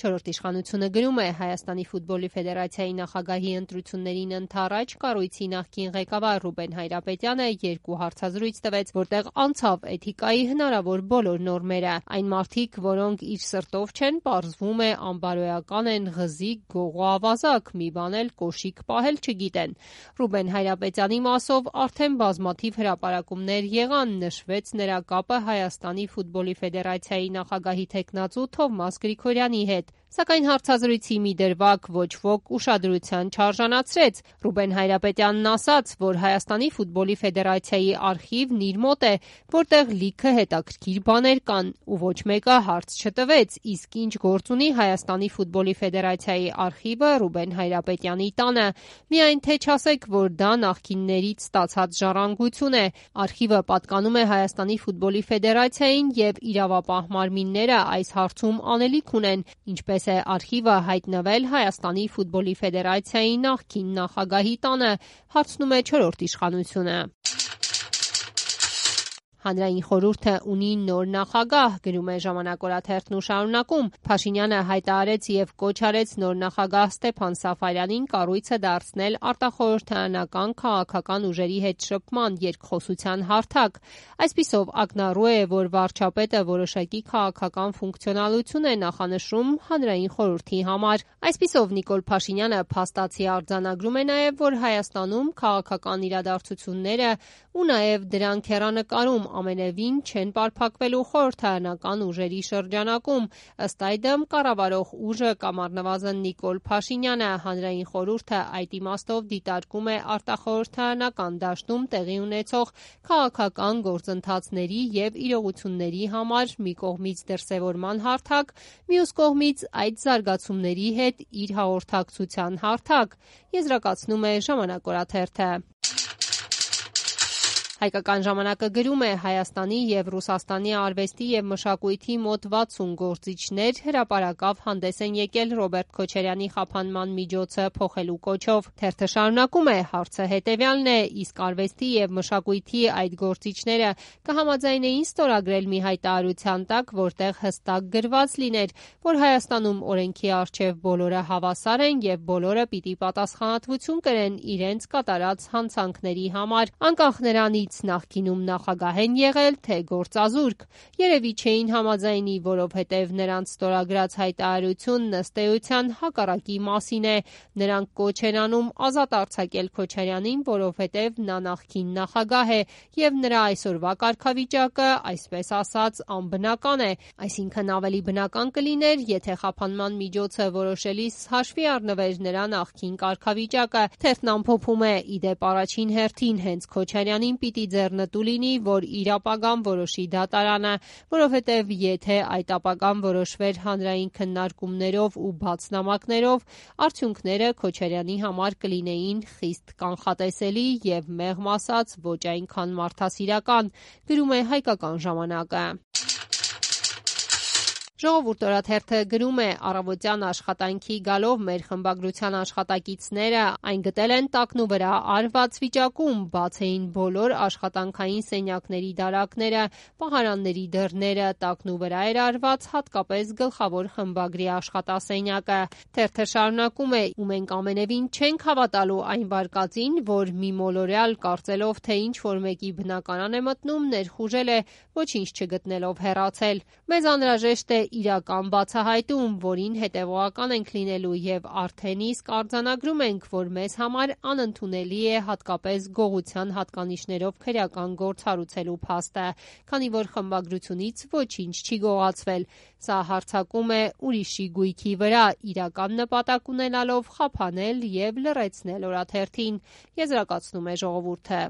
Չորրորդ իշխանությունը գրում է Հայաստանի ֆուտբոլի ֆեդերացիայի նախագահի ընտրություններին ընդառաջ կառույցի նախկին ղեկավար Ռուբեն Հայրապետյանը 2 հարցազրույց տվեց, որտեղ անցավ էթիկայի հնարավոր բոլոր նորմերը։ Այն մարդիկ, որոնք իր սրտով չեն, պարզվում է անբարոյական են, ղզիկ, գողոավազակ, մի բան էլ կոշիկ պահել չգիտեն։ Ռուբեն Հայրապետյանի մասով արդեն բազմաթիվ հրապարակումներ եղան, նշվեց նրա կապը Հայաստանի ֆուտբոլի ֆեդերացիայի նախագահի թեկնածու Թովմաս Գրիգորյանի հետ, սակայն հարցազրույցի մի դրվագ ոչ ոք ուշադրության չարժանացրեց։ Ռուբեն Հայրապետյանն ասաց, որ Հայաստանի ֆուտբոլի ֆեդերացիայի արխիվն իր մոտ է, որտեղ լիքը հետաքրքիր բաներ կան, ու ոչ մեկը հարց չտվեց, իսկ ինչ գործ ունի Հայաստանի ֆուտբոլի ֆեդերացիայի արխիվը Ռուբեն Հայրապետյանի տանը։ Միայն թե չասեք, որ դա նախկիններից ստացած ժառանգություն է։ Արխիվը պատկանում է Հայաստանի ֆուտբոլի ֆեդերացիային եւ իրավապահ մարմինները այս հարցում անելիք ունեն, ինչպես է արխիվը հայտնվել Հայաստանի ֆուտբոլի ֆեդերացիայի նախկին նախագահի տանը, հարցնում է Չորրորդ իշխանությունը։ Հանրային խորհուրդը ունի նոր նախագահ, գրում է Ժամանակ օրաթերթն ու շարունակում։ Փաշինյանը հայտարարեց եւ կոչ արեց նոր նախագահ Ստեփան Սաֆարյանին կառույցը դարձնել արտախորհրդարանական քաղաքական ուժերի հետ շփման երկխոսության հարթակ։ Այսպիսով ակնառու է, որ վարչապետը որոշակի քաղաքական ֆունկցիոնալություն է նախանշում հանրային խորհրդի համար։ Այսպիսով Նիկոլ Փաշինյանը փաստացի արձանագրում է նաեւ, որ Հայաստանում քաղաքական իրադարձությունները ու նաեւ դրանք հեռանկարում ամենևին չեն պարփակվելու խորհրդարանական ուժերի շրջանակում։ Ըստ այդմ կառավարող ուժը կամ առնվազն Նիկոլ Փաշինյանը հանրային խորհուրդը այդ իմաստով դիտարկում է արտախորհրդարանական դաշտում տեղի ունեցող քաղաքական գործընթացների եւ իրողությունների համար մի կողմից դրսեւորման հարթակ, մյուս կողմից այդ զարգացումների հետ իր հաղորդակցության հարթակ, եզրակացնում է Ժամանակ օրաթերթը։ Հայկական ժամանակը գրում է Հայաստանի եւ Ռուսաստանի արվեստի եւ մշակույթի մոտ 60 գործիչներ հրապարակավ հանդես են եկել Ռոբերտ Քոչարյանի խափանման միջոցը փոխելու կոչով։ Թերթը շարունակում է, հարցը հետեւյալն է, իսկ արվեստի եւ մշակույթի այդ գործիչները կհամաձայնեին ստորագրել մի հայտարարության տակ, որտեղ հստակ գրված լիներ, որ Հայաստանում օրենքի առջեւ բոլորը հավասար են եւ բոլորը պիտի պատասխանատվություն կրեն իրենց կատարած հանցանքների համար, անկախ նրանից նախկինում նախագահ են եղել, թե գործազուրկ։ Երևի չէին համաձայնի, որովհետև նրանց ստորագրած հայտարարությունն ըստ էության հակառակի մասին է։ Նրանք կոչ են անում ազատ արձակել Քոչարյանին, որովհետև նա նախկին նախագահ է եւ նրա այսօրվա կարգավիճակը, այսպես ասած, անբնական է։ Այսինքն ավելի բնական կլիներ, եթե խափանման միջոցը որոշելիս հաշվի առնվեր նրա նախկին կարգավիճակը։ Թերթն ամփոփում է, իդեպ առաջին հերթին հենց Քոչարյանին պիտի ձեռնտու լինի, որ իր ապագան որոշի դատարանը, որովհետև եթե այդ ապագան որոշվեր հանրային քննարկումներով ու բաց նամակներով, արդյունքները Քոչարյանի համար կլինեին խիստ կանխատեսելի եւ մեղմ ասած ոչ այնքան մարդասիրական, գրում է Հայկական ժամանակը։ Ժողովուրդ օրաթերթը գրում է առավոտյան աշխատանքի գալով մեր խմբագրության աշխատակիցները այն գտել են տակնու վրա արված վիճակում, բաց էին բոլոր աշխատանքային սենյակների դարակները, պահարանների դռները, տակնու վրա էր արված հատկապես գլխավոր խմբագրի աշխատասենյակը։ Թերթը շարունակում է, ու մենք ամենևին չենք հավատալու այն վարկածին, որ մի մոլորյալ կարծելով, թե ինչ որ մեկի բնակարան է մտնում, ներխուժել է, ոչինչ չգտնելով հեռացել։ Մեզ անհրաժեշտ է իրական բացահայտում, որին հետևողական ենք լինելու եւ արդեն իսկ արձանագրում ենք, որ մեզ համար անընդունելի է հատկապես գողության հատկանիշներով քրեական գործ հարուցելու փաստը, քանի որ խմբագրությունից ոչինչ չի գողացվել։ Սա հարձակում է ուրիշի գույքի վրա, իրական նպատակ ունենալով խափանել եւ լռեցնել օրաթերթին, եզրակացնում է Ժողովուրդը։